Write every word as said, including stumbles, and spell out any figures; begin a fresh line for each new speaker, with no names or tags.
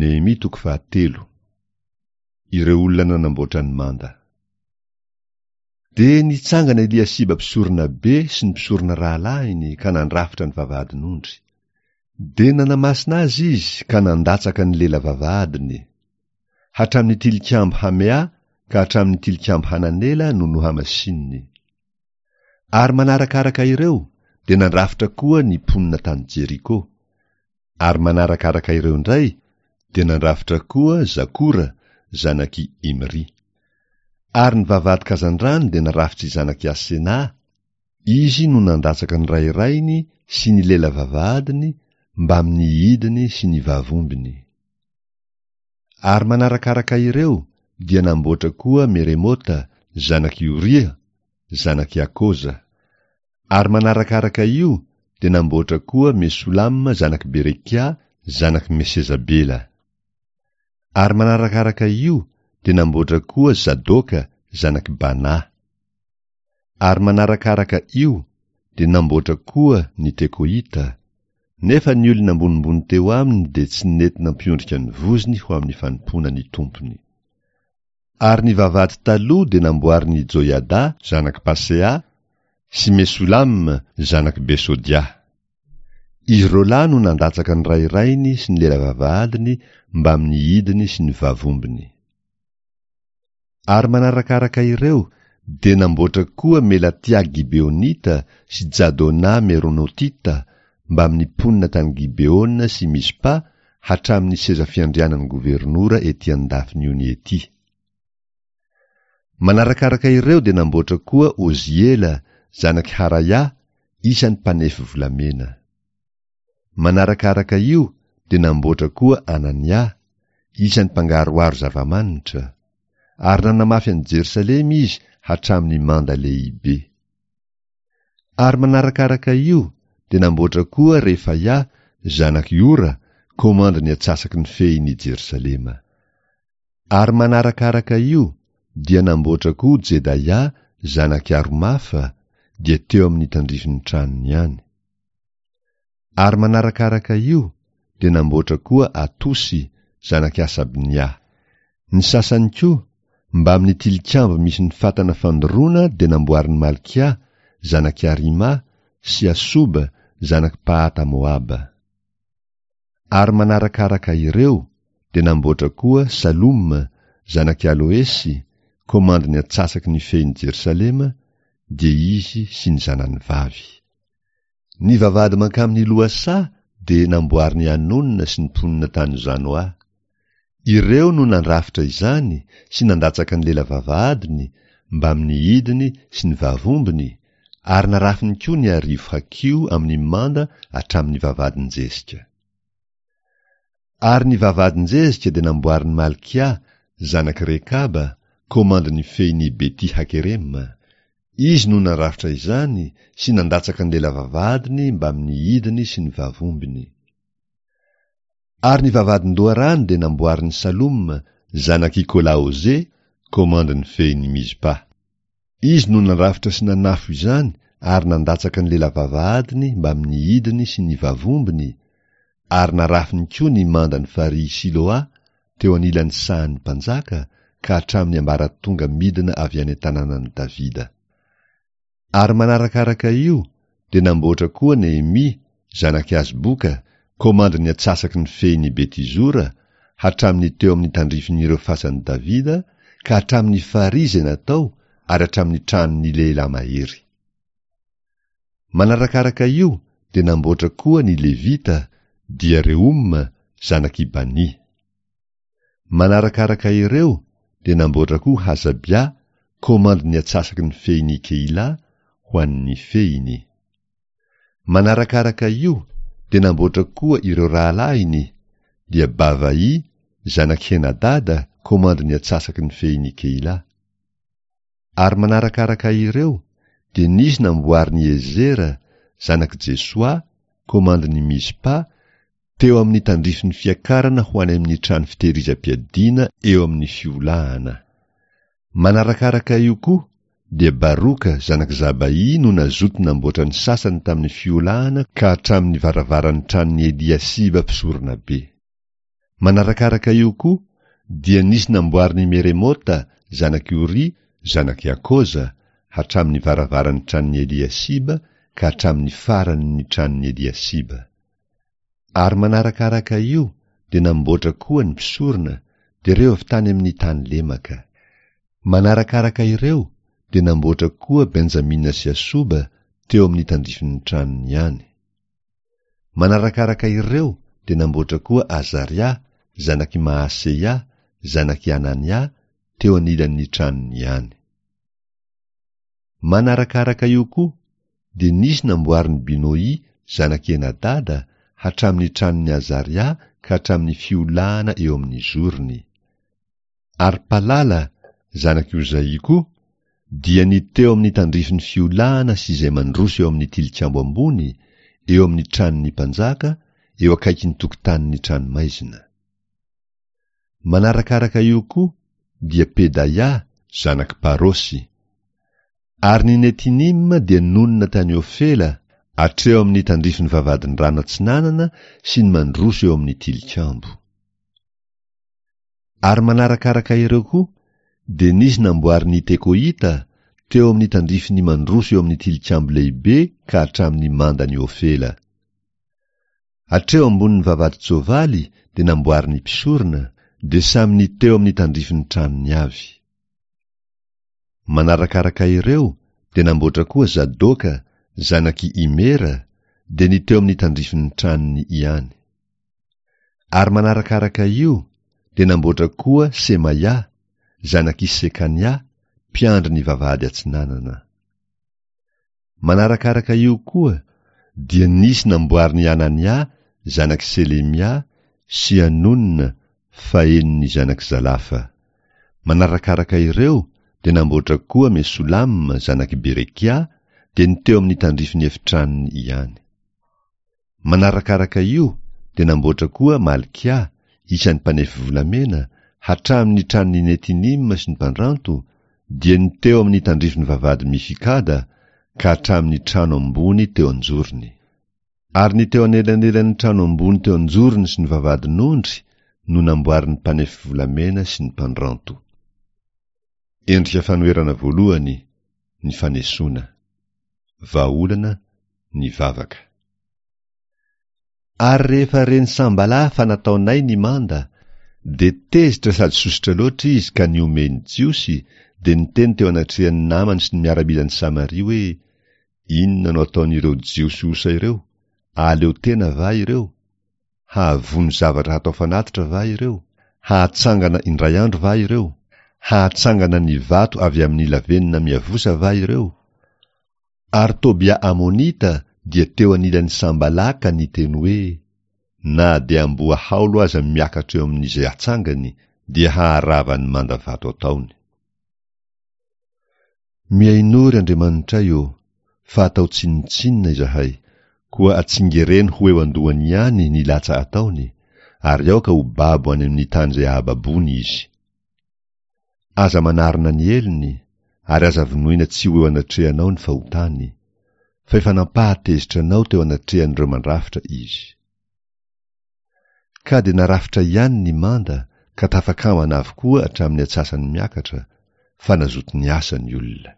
Nehemia toko fahatelo. Ireo olona nanamboatra ny manda. Dia nitsangana Eliasiba mpisorona be sy ny mpisorona rahalahiny ka nandrafitra ny vavahadin'ondry. Dia nanamasina azy izy ka nandatsaka ny lela vavahadiny. Hatramin'ny tilikambo Hamea ka hatramin'ny tilikambo Hananela no nohamasininy. Ary manarakaraka ireo dia nandrafitra koa ny mponina tany Jeriko. Ary manarakaraka ireo indray dia nandrafitra koa Zakora zanak'i Imry. Ary ny vavahady kazandrano dia narafitr'i zanak'i Asena, izy no nandatsaka ny rairainy sy ny lela vavahadiny mbamin'ny hidiny sy ny vavombiny. Ary manarakaraka ireo dia namboatra koa Meremota zanak'i Oria zanak'i Akoza. Ary manarakaraka io dia namboatra koa Mesolama zanak'i Berekia zanak'i Mesezabela. Ary manarakaraka io dia namboatra koa Zadoka zanak'i Bana. Ary manarakaraka io dia namboatra koa ny Tekoita, nefa ny olona ambonimbony teo aminy dia tsy nety nampiondrika ny vozony ho amin'ny fanompoana ny tompony. Ary ny vavahady taloha dia namboarin'i Joiada zanak'i Pasea sy Mesolam zanak'i Besodia. Izy roa lahy no nandatsaka ny rairainy sy ny lela vavahadiny mbamin'ny hidiny sy ny vavombiny. Ary manarakaraka ireo dia namboatra koa Melatia Gibeonita sy Jadona Meronotita mbamin'ny mponina tany Gibeona sy Mizpa hatramin'ny seza fiandrianan'ny governora ety an-dafin'ny ony ety. Manarakaraka ireo dia namboatra koa Oziela zanak'i Haraia isan'ny mpanefy volamena. Manarakaraka io dia namboatra koa Anania isan'ny mpangaroharo zava-manitra. Ary nanamafy an'i Jerosalema izy hatramin'ny manda lehibe. Ary manarakaraka io dia namboatra koa Refaia zanak'i Ora komandin'ny antsasaky ny fehin'i Jerosalema. Ary manarakaraka io dia namboatra koa Jedaia zanak'i Aromafa dia teo amin'ny tandrifin'ny tranony ihany. Ary manarakaraka io dia namboatra koa Atosy zanak'i Asabnia. Ny sasany koa mbamin'ny tilikambo misy ny fatana fandoroana dia namboarin'i Malkia zanak'i Arima sy Asoba zanak'i Pahata Moaba. Ary manarakaraka ireo dia namboatra koa Saloma zanak'i Aloesy komandin'ny antsasaky ny fehin'i Jerosalema dia izy sy ny zanany vavy. Ny vavahady mankamin'ny lohasaha dia namboarin'i Anona sy ny mponina tany Zanoa. Ireo no nandrafitra izany sy nandatsaka ny lela vavahadiny mbamin'ny hidiny sy ny vavombiny ary narafiny koa ny arivo hakiho amin'ny manda hatramin'ny vavahadin-jezika. Ary ny vavahadin-jezika dia namboarin'i Malkia zanak'i Rekaba komandin'ny fehin'i Beti Hakerema. Izy no nandrafitra izany sy nandatsaka ny lela vavahadiny mbamin'ny hidiny sy ny vavombiny. Ary ny vavahadin-doharano dia namboarin'i Saloma zanak'i Kolaoze komandin'ny fehin'i Mizpa. Izy no nandrafitra sy nanafo izany ary nandatsaka ny lela vavahadiny mbamin'ny hidiny sy ny vavombiny ary narafiny koa ny mandan'ny farihy Siloa teo anilan'ny sahan'ny mpanjaka ka hatramin'ny ambaratonga midina avy any an-tanànan'i Davida. Ary manarakaraka io dia namboatra koa Nehemia zanak'i Azboka komandin'ny antsasaky ny fehin'i Betizora hatramin'ny teo amin'ny tandrifin'ireo fasan'i Davida ka hatramin'ny farihy izay natao ary hatramin'ny tranon'ny lehilahy mahery. Manarakaraka io dia namboatra koa ny Levita dia Reoma zanak'i Bani. Manarakaraka ireo dia namboatra koa Hasabia komandin'ny antsasaky ny fehin'i Keila ho an'ny fehiny. Manarakaraka io dia namboatra koa ireo rahalahiny dia Bavai zanak'i Henadada komandin'ny antsasaky ny fehin'i Keila. Ary manarakaraka ireo dia nisy namboarin'i Ezera zanak'i Jesoa komandin'i Mizpa teo amin'ny tandrifin'ny fiakarana ho any amin'ny trano fitehirizam-piadiana eo amin'ny fiolahana. Manarakaraka io koa dia Baroka zanak'i Zabai no nazoto namboatra ny sasany tamin'ny fiolahana ka hatramin'ny varavaran'ny tranon'i Eliasiba mpisorona be. Manarakaraka io koa dia nisy namboarin'i Meremota zanak'i Oria zanak'i Akoza hatramin'ny varavaran'ny tranon'i Eliasiba ka hatramin'ny faran'ny tranon'i Eliasiba. Ary manarakaraka io dia namboatra koa ny mpisorona, dia ireo avy tany amin'ny tany lemaka. Manarakaraka ireo dia namboatra koa Benjamina sy Asoba teo amin'ny tandrifin'ny tranony ihany. Manarakaraka ireo dia namboatra koa Azaria zanak'i Maaseia zanak'i Anania teo anilan'ny tranony ihany. Manarakaraka io koa dia nisy namboarin'i Binoy zanak'i Enadada hatramin'ny tranon'i Azaria ka hatramin'ny fiolahana eo amin'ny zorony. Ary Palala zanak'i Ozaia koa dia ny teo amin'ny tandrifin'ny fiolahana sy izay mandroso eo amin'ny tilikambo ambony, eo amin'ny tranon'ny mpanjaka, eo akaikin'ny tokotanin'ny tranomaizina. Manarakaraka io koa dia Pedaia zanak'i Parosy. Ary ny Netinima dia nonina tany Ofela, hatreo amin'ny tandrifin'ny vavahadin-drano atsinanana sy ny mandroso eo amin'ny tilikambo. Ary manarakaraka ireo koa dia nisy namboarin'ny Tekoita teo amin'ny tandrifin'ny mandroso eo amin'ny tilikambo lehibe ka hatramin'ny mandan'i Ofela. Hatreo ambonin'ny vavahadin-tsoavaly dia namboarin'ny mpisorona, dia samy ny teo amin'ny tandrifin'ny tranony avy. Manarakaraka ireo dia namboatra koa Zadoka zanak'i Imera, dia ny teo amin'ny tandrifin'ny tranony ihany. Ary manarakaraka io dia namboatra koa Semaia zanak'i Sekania, mpiandry ny vavahady atsinanana. Manarakaraka io koa dia nisy namboarin'i Anania zanak'i Selemia sy Anona fahenin'ny zanak'i Zalafa. Manarakaraka ireo dia namboatra koa Mesolama zanak'i Berekia, dia ny teo amin'ny tandrifin'ny efitranony ihany. Manarakaraka io dia namboatra koa Malkia isan'ny mpanefy volamena hatramin'ny tranon'ny Netinima sy ny mpandranto, dia ny teo amin'ny tandrifin'ny vavahady Mifikada ka hatramin'ny trano ambony teo an-jorony. Ary ny teo anelanelan'ny trano ambony teo an-jorony sy ny vavahadin'ondry no namboarin'ny mpanefy volamena sy ny mpandranto. Endrika fanoherana voalohany, ny fanesoana. Vahaolana, ny vavaka. Ary rehefa ren'i Sambala fa nataonay ny manda, dia tezitra sady sosotra loatra izy ka nihomehy ny Jiosy, dia niteny teo anatrehan'ny namany sy ny miaramilan'i Samaria hoe: Inona no ataon'ireo Jiosy osa ireo? Ahaleo tena va ireo? Hahavono zavatra hatao fanatitra va ireo? Hahatsangana indray andro va ireo? Hahatsangana ny vato avy amin'ny lavenona miavosa va ireo? Ary Tobia Amonita dia teo anilan'i Sambala ka niteny hoe: Na dia amboa haolo aza miakatra eo amin'izay atsangany, dia haharava ny manda vato ataony. Mihainoa, ry Andriamanitray ô, fa atao tsinontsinona izahay, koa atsingereno ho eo an-dohany ihany ny latsa ataony, ary aoka ho babo any amin'ny tany izay ahababoany izy. Aza manarona ny helony, ary aza vonoina tsy ho eo anatrehanao ny fahotany, fa efa nampahatezitra anao teo anatrehan'ireo mandrafitra izy. Ka dia narafitra ihany ny manda ka tafakambana avokoa hatramin'ny atsasany miakatra, fa nazoto niasa ny olona.